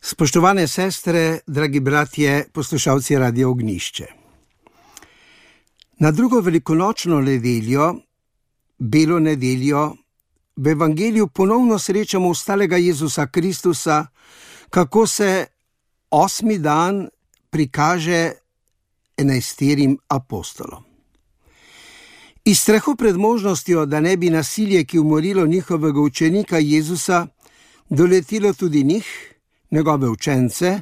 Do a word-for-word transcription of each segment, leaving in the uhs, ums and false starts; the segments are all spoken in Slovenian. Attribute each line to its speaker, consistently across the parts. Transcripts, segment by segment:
Speaker 1: Spoštovane sestre, dragi bratje, poslušalci Radia Ognjišče. Na drugo velikonočno nedeljo, belo nedeljo, v evangeliju ponovno srečamo ostalega Jezusa Kristusa, kako se osmi dan prikaže enajsterim apostolom. Iz strahu pred možnostjo, da ne bi nasilje, ki umorilo njihovega učenika Jezusa, doletilo tudi njih, njegove učence,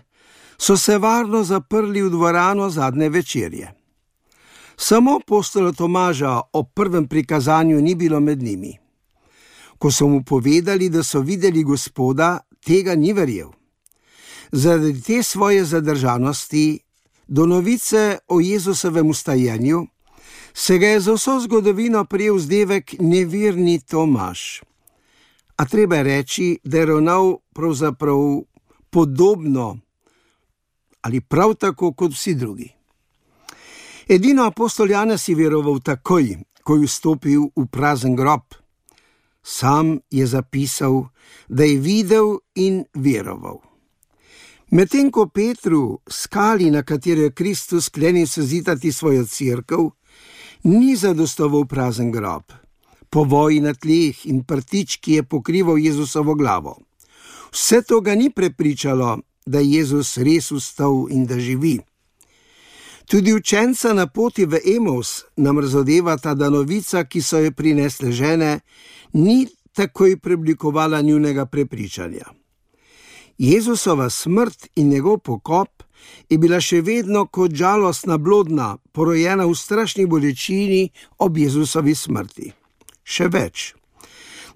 Speaker 1: so se varno zaprli v dvorano zadnje večerje. Samo apostola Tomaža ob prvem prikazanju ni bilo med njimi. Ko so mu povedali, da so videli Gospoda, tega ni verjel. Zaradi te svoje zadržanosti do novice o Jezusovem vstajenju se ga je za vso zgodovino prijel vzdevek neverni Tomaž. A treba je reči, da je ravnal pravzaprav podobno ali prav tako kot vsi drugi. Edino apostol Janez je veroval takoj, ko je vstopil v prazen grob. Sam je zapisal, da je videl in veroval. Medtem ko Petru, skali, na katero je Kristus sklenil sezidati svojo cerkev, ni zadostoval prazen grob, povoj na tleh in prtič, ki je pokrival Jezusovo glavo. Vse to ga ni prepričalo, da je Jezus res vstal in da živi. Tudi učenca na poti v Emaus nam razodevata, da novica, ki so jo prinesle žene, ni takoj preoblikovala njunega prepričanja. Jezusova smrt in njegov pokop je bila še vedno kot žalostna blodna, porojena v strašni bolečini ob Jezusovi smrti. Še več.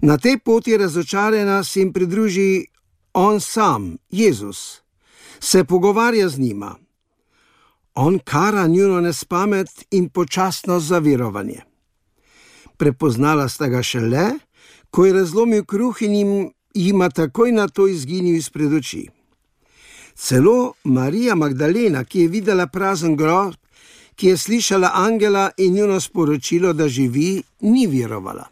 Speaker 1: Na tej poti razočarana se jim pridruži on sam, Jezus, se pogovarja z njima. On kara njuno nespamet in počasnost za verovanje. Prepoznala sta ga šele, ko je razlomil kruh in jim, jima takoj na to izginil izpred oči. Celo Marija Magdalena, ki je videla prazen grob, ki je slišala angela in njuno sporočilo, da živi, ni verovala.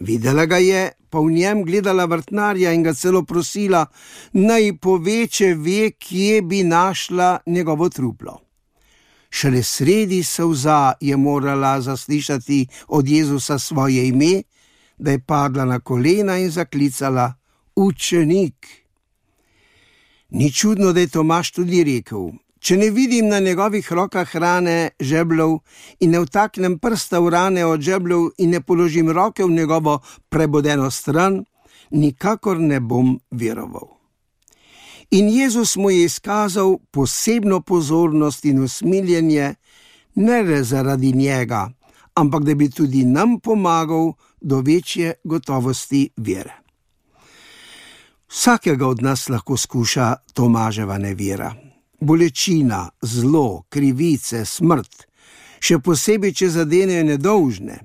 Speaker 1: Videla ga je, pa v njem gledala vrtnarja in ga celo prosila, naj pove, če ve, kje bi našla njegovo truplo. Šele sredi solza je morala zaslišati od Jezusa svoje ime, da je padla na kolena in zaklicala: Učenik. Ni čudno, da je Tomaž tudi rekel: če ne vidim na njegovih rokah rane žebljev in ne vtaknem prsta v rane od žebljev in ne položim roke v njegovo prebodeno stran, nikakor ne bom veroval. In Jezus mu je izkazal posebno pozornost in usmiljenje, ne le zaradi njega, ampak da bi tudi nam pomagal do večje gotovosti vere. Vsakega od nas lahko skuša Tomaževa nevera. Bolečina, zlo, krivice, smrt, še posebej, če zadenejo nedolžne.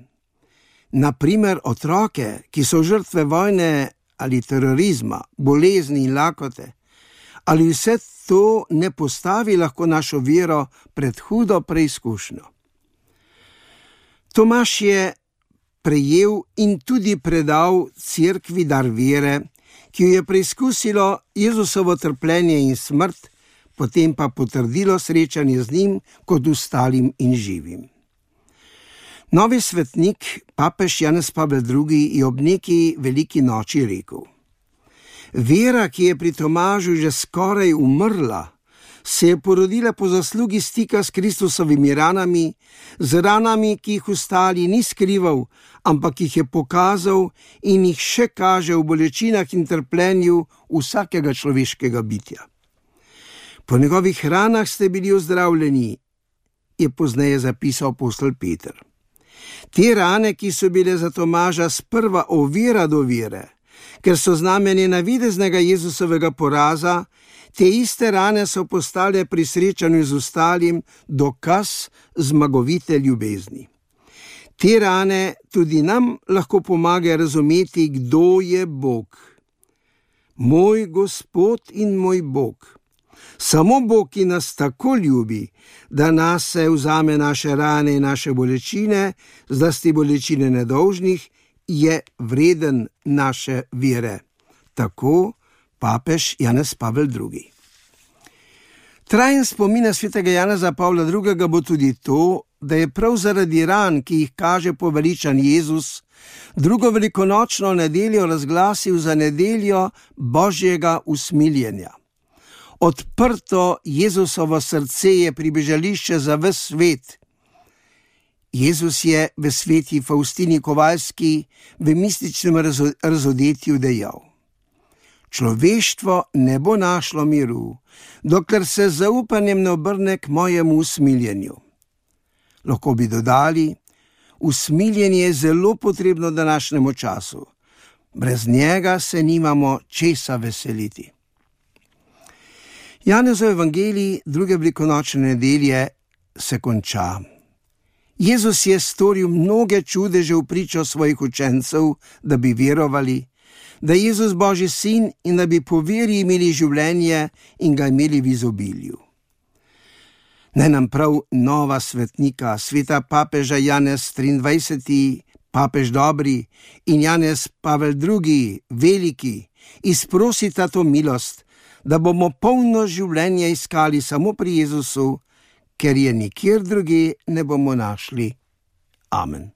Speaker 1: Naprimer otroke, ki so žrtve vojne ali terorizma, bolezni in lakote, ali vse to ne postavi lahko našo vero pred hudo preizkušnjo. Tomaž je prejel in tudi predal cerkvi dar vere, ki jo je preizkusilo Jezusovo trpljenje in smrt, potem pa potrdilo srečanje z njim kot ostalim in živim. Novi svetnik, papež Janez Pavel drugi, je ob neki veliki noči rekel: vera, ki je pri Tomažu že skoraj umrla, se je porodila po zaslugi stika s Kristusovimi ranami, z ranami, ki jih ostali ni skrival, ampak jih je pokazal in jih še kaže v bolečinah in trpljenju vsakega človeškega bitja. Po njegovih ranah ste bili ozdravljeni, je pozneje zapisal apostol Peter. Te rane, ki so bile za Tomaža sprva ovira do vere, ker so znamenje navideznega Jezusovega poraza, te iste rane so postale pri srečanju z ostalim dokaz zmagovite ljubezni. Te rane tudi nam lahko pomagajo razumeti, kdo je Bog. Moj Gospod in moj Bog. Samo Bog, ki nas tako ljubi, da nas se vzame naše rane in naše bolečine, zlasti bolečine nedolžnih, je vreden naše vere. Tako papež Janez Pavel drugi. Trajen spomin na svetega Janeza Pavla drugega bo tudi to, da je prav zaradi ran, ki jih kaže poveličan Jezus, drugo velikonočno nedeljo razglasil za nedeljo Božjega usmiljenja. Odprto Jezusovo srce je pribežališče za ves svet. Jezus je v sveti Faustini Kovalski v mističnem razodetju dejal: človeštvo ne bo našlo miru, dokler se z zaupanjem ne obrne k mojemu usmiljenju. Lahko bi dodali, usmiljenje je zelo potrebno današnjemu času. Brez njega se nimamo česa veseliti. Janezov evangelij druge velikonočne nedelje se konča. Jezus je storil mnoge čudeže v pričo svojih učencev, da bi verovali, da je Jezus Božji sin in da bi po veri imeli življenje in ga imeli v izobilju. Naj nam prav nova svetnika, sveta papeža Janez triindvajseti, papež dobri, in Janez Pavel drugi, veliki, izprosita to milost, da bomo polno življenje iskali samo pri Jezusu, ker je nikjer drugje ne bomo našli. Amen.